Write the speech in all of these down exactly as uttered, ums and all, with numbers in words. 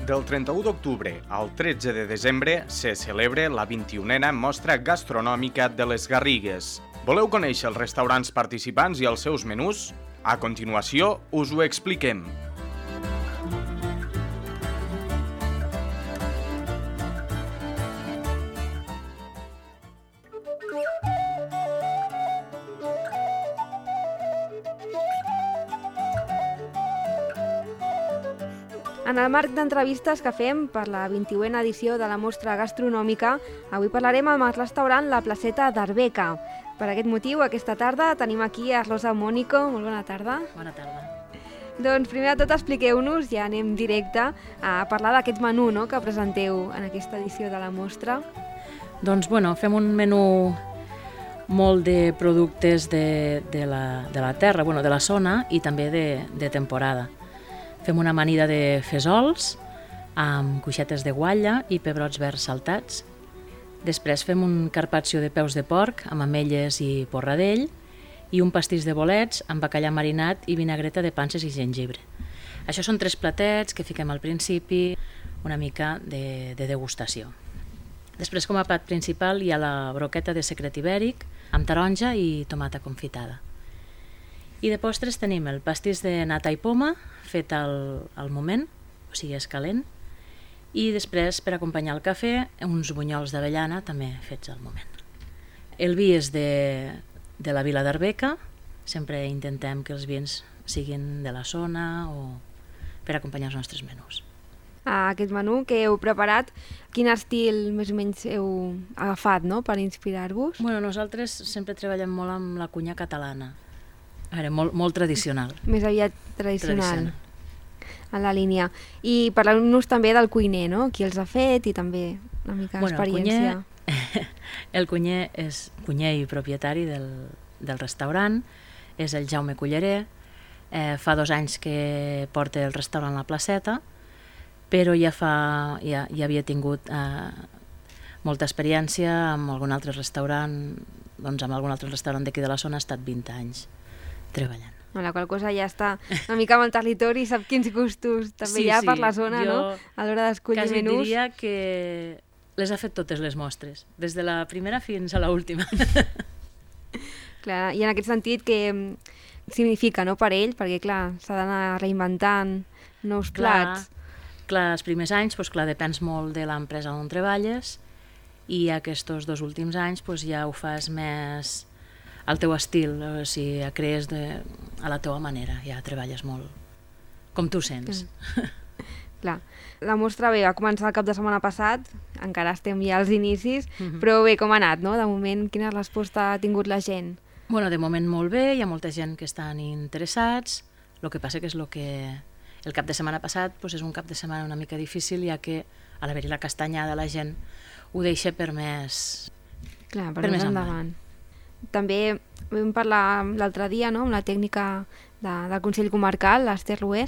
Del trenta-u d'octubre al tretze de desembre se celebra la vint-i-unena Mostra Gastronòmica de les Garrigues. Voleu conèixer els restaurants participants i els seus menús? A continuació us ho expliquem. En el marc d'entrevistes que fem per la vint-i-unena edició de la Mostra Gastronòmica, avui parlarem amb el restaurant La Placeta d'Arbeca. Per aquest motiu, aquesta tarda tenim aquí a Rosa Mónico. Molt bona tarda. Bona tarda. Doncs primer de tot expliqueu-nos, ja anem directe a parlar d'aquest menú, no?, que presenteu en aquesta edició de la mostra. Doncs bueno, fem un menú molt de productes de, de, la, de la terra, bueno, de la zona i també de, de temporada. Fem una amanida de fesols amb cuixetes de guatlla i pebrots verds saltats. Després fem un carpaccio de peus de porc amb ametlles i porradell i un pastís de bolets amb bacallà marinat i vinagreta de panses i gengibre. Això són tres platets que fiquem al principi, una mica de, de degustació. Després, com a plat principal, hi ha la broqueta de secret ibèric amb taronja i tomata confitada. I de postres tenim el pastís de nata i poma, fet al, al moment, o sigui, és calent, i després, per acompanyar el cafè, uns bunyols d'avellana, també fets al moment. El vi és de, de la vila d'Arbeca, sempre intentem que els vins siguin de la zona o per acompanyar els nostres menús. A aquest menú que heu preparat, quin estil més o menys heu agafat, no?, per inspirar-vos? Bueno, nosaltres sempre treballem molt amb la cuina catalana. A veure, molt, molt tradicional. Més aviat tradicional, tradicional. En la línia. I parlem-nos també del cuiner, no?, qui els ha fet i també una mica bueno, d'experiència. El cuiner, el cuiner és cuiner i propietari del, del restaurant, és el Jaume Culleré. Eh, fa dos anys que porta el restaurant La Placeta, però ja, fa, ja, ja havia tingut eh, molta experiència amb algun altre restaurant, doncs amb algun altre restaurant d'aquí de la zona ha estat vint anys treballant. La qual cosa ja està una mica amb el territori i sap quins gustos també sí, hi ha sí. per la zona, jo no?, a l'hora d'escollir quasi menús. diria que les ha fet totes les mostres, des de la primera fins a l'última. Clar, i en aquest sentit, què significa, no?, per ell? Perquè, clar, s'ha d'anar reinventant nous plats. Clar, clar, els primers anys, doncs, clar, depens molt de l'empresa on treballes i aquests dos últims anys doncs, ja ho fas més al teu estil, o sigui, crees de, a la teva manera, ja treballes molt com tu sents. Mm. Clar, la mostra bé, va començar el cap de setmana passat, encara estem ja als inicis, mm-hmm. però bé, com ha anat, no? De moment, quina resposta ha tingut la gent? Bueno, de moment molt bé, hi ha molta gent que estan interessats, el que passa que és el que... El cap de setmana passat doncs és un cap de setmana una mica difícil, ja que a l'haver-hi la castanyada la gent ho deixa per més, Clar, per per més més endavant. endavant. També vam parlar l'altre dia, no?, amb la tècnica de, del Consell Comarcal, l'Ester Rué,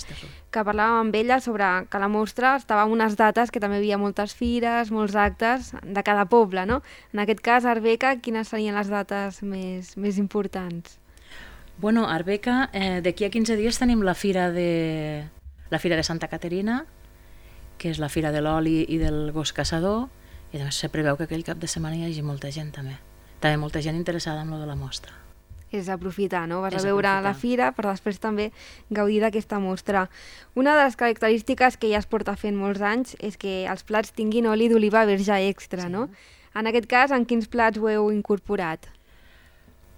que parlàvem amb ella sobre que la mostra estava en unes dates que també hi havia moltes fires, molts actes de cada poble, no? En aquest cas, Arbeca, quines serien les dates més, més importants? Bueno, a Arbeca, eh, d'aquí a quinze dies tenim la fira de, la fira de Santa Caterina, que és la fira de l'oli i del gos caçador, i doncs se preveu que aquell cap de setmana hi hagi molta gent també. També molta gent interessada en lo de la mostra. És aprofitar, no? Vas és a veure aprofitar. la fira per després també gaudir d'aquesta mostra. Una de les característiques que ja es porta fent molts anys és que els plats tinguin oli d'oliva verge extra, sí. no? En aquest cas, en quins plats ho heu incorporat?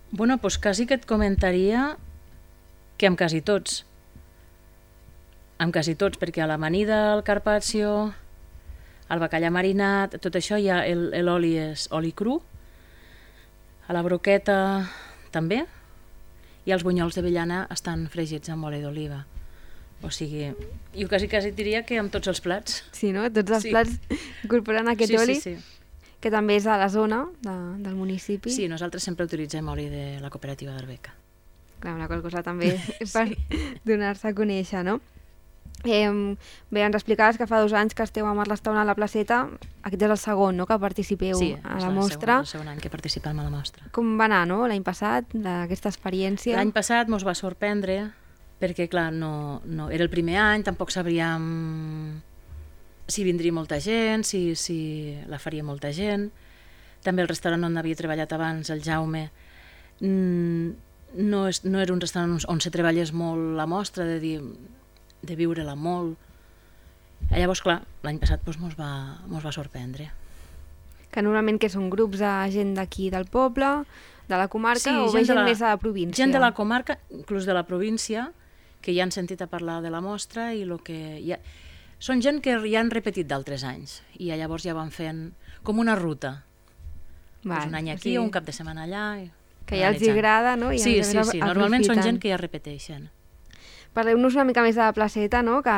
Bueno, doncs quasi que et comentaria que amb quasi tots. Amb quasi tots, perquè a l'amanida, el carpaccio, el bacallà marinat, tot això ja l'oli és oli cru, a la broqueta també, i els bunyols d'avellana estan fregits amb oli d'oliva. O sigui, jo quasi, quasi diria que amb tots els plats. Sí, no? Tots els sí. plats incorporant aquest sí, oli, sí, sí. que també és a la zona de, del municipi. Sí, nosaltres sempre utilitzem oli de la cooperativa d'Arbeca. Clar, una qual cosa també sí. per donar-se a conèixer, no? Eh, bé, ens explicaves que fa dos anys que esteu amb el restaurant a La Placeta. Aquest és el segon, no?, que participeu sí, a la mostra. Sí, és el segon any que participem a la mostra. Com va anar, no?, l'any passat, d'aquesta experiència? L'any passat mos va sorprendre perquè, clar, no, no, era el primer any, tampoc sabríem si vindria molta gent, si, si la faria molta gent. També el restaurant on havia treballat abans, el Jaume, no, és, no era un restaurant on se treballés molt la mostra, de, dir, de viure-la molt. I llavors, clar, l'any passat doncs, mos, va, mos va sorprendre. Que normalment que són grups de gent d'aquí del poble, de la comarca, sí, o gent, gent la, més de la província? Gent de la comarca, inclús de la província, que ja han sentit a parlar de la mostra i lo que... Ja... Són gent que ja han repetit d'altres anys i llavors ja van fent com una ruta. Val, pues un any aquí, sí. Un cap de setmana allà... I... Que ja els agrada, no? I sí, sí, sí. Normalment són gent que ja repeteixen. Parleu-nos una mica més de la placeta, no? Que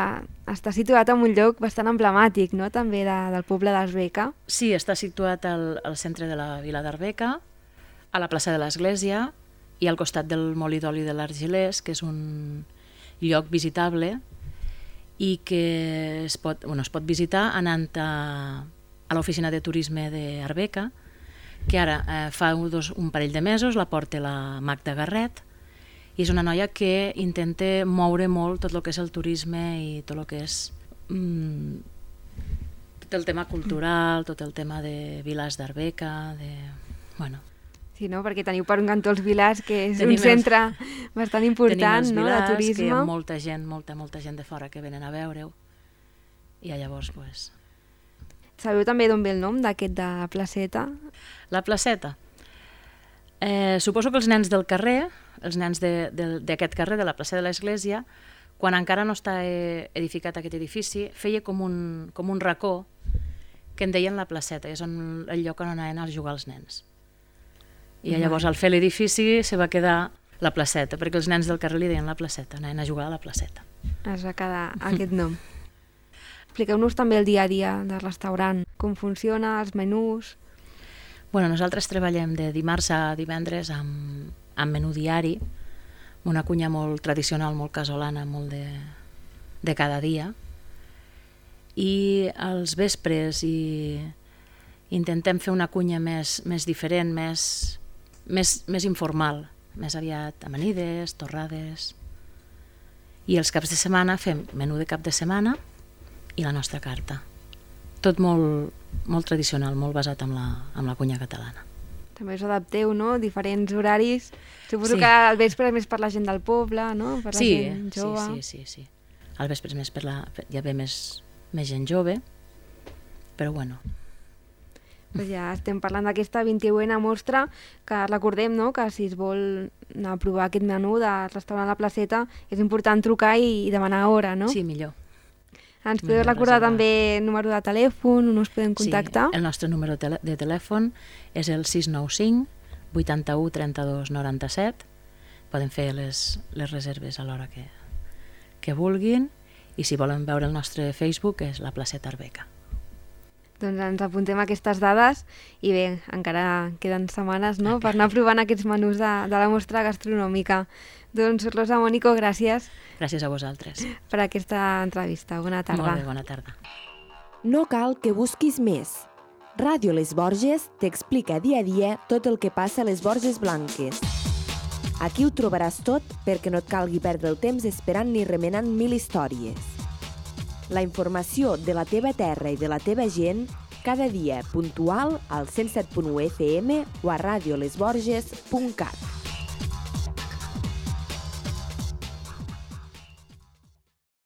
està situat en un lloc bastant emblemàtic, no? També de, del poble d'Arbeca. Sí, està situat al, al centre de la vila d'Arbeca, a la plaça de l'Església i al costat del molí d'oli de l'Argelers, que és un lloc visitable i que es pot, bueno, es pot visitar anant a, a l'oficina de turisme d'Arbeca, que ara eh, fa dos, un parell de mesos la porta la Magda Garret, i és una noia que intenta moure molt tot el que és el turisme i tot el que és mm, tot el tema cultural, tot el tema de Vilars d'Arbeca, de... bueno... Sí, no? Perquè teniu per un cantó els Vilars, que és tenim un centre els... bastant important, no? Vilars, de turisme. Que hi ha molta gent, molta, molta gent de fora que venen a veure-ho. I llavors, doncs... Sabeu també d'on ve el nom d'aquest de la placeta? La placeta? Eh, suposo que els nens del carrer, els nens d'aquest carrer, de la plaça de l'Església, quan encara no està edificat aquest edifici, feia com un, com un racó que en deien la placeta, és on, el lloc on anaven a jugar els nens. I llavors al fer l'edifici se va quedar la placeta, perquè els nens del carrer li deien la placeta, anaven a jugar a la placeta. Es va quedar aquest nom. Expliqueu-nos també el dia a dia del restaurant, com funciona, els menús... Bueno, nosaltres treballem de dimarts a divendres amb, amb menú diari, una cuina molt tradicional, molt casolana, molt de, de cada dia. I als vespres i intentem fer una cuina més, més diferent, més, més, més informal, més aviat amanides, torrades. I els caps de setmana fem menú de cap de setmana i la nostra carta. Tot molt, molt tradicional, molt basat en la, en la cuina catalana. També us adapteu, no? Diferents horaris. Suposo sí. Que al vespre és més per la gent del poble, no? Per la sí, gent jove. Sí, sí, sí, sí. Al vespre és més per la... hi ha més, més gent jove, però bueno. Pues ja estem parlant d'aquesta vint-i-una mostra, que recordem, no?, que si es vol anar a provar aquest menú del restaurant La Placeta és important trucar i, i demanar hora, no? Sí, millor. Ens podeu recordar també el número de telèfon, on us podem contactar? Sí, el nostre número de telèfon és el sis nou cinc, vuitanta-u, trenta-dos, noranta-set. Poden fer les, les reserves a l'hora que, que vulguin i si volen veure el nostre Facebook és La Placeta Arbeca. Doncs ens apuntem aquestes dades i bé, encara queden setmanes, no?, per anar provant aquests menús de, de la mostra gastronòmica. Doncs Rosa Mónico, gràcies. Gràcies a vosaltres. Per aquesta entrevista. Bona tarda. Molt bé, bona tarda. No cal que busquis més. Ràdio Les Borges t'explica dia a dia tot el que passa a les Borges Blanques. Aquí ho trobaràs tot perquè no et calgui perdre el temps esperant ni remenant mil històries. La informació de la teva terra i de la teva gent cada dia puntual al cent set punt u F M o a radiolesborges punt cat.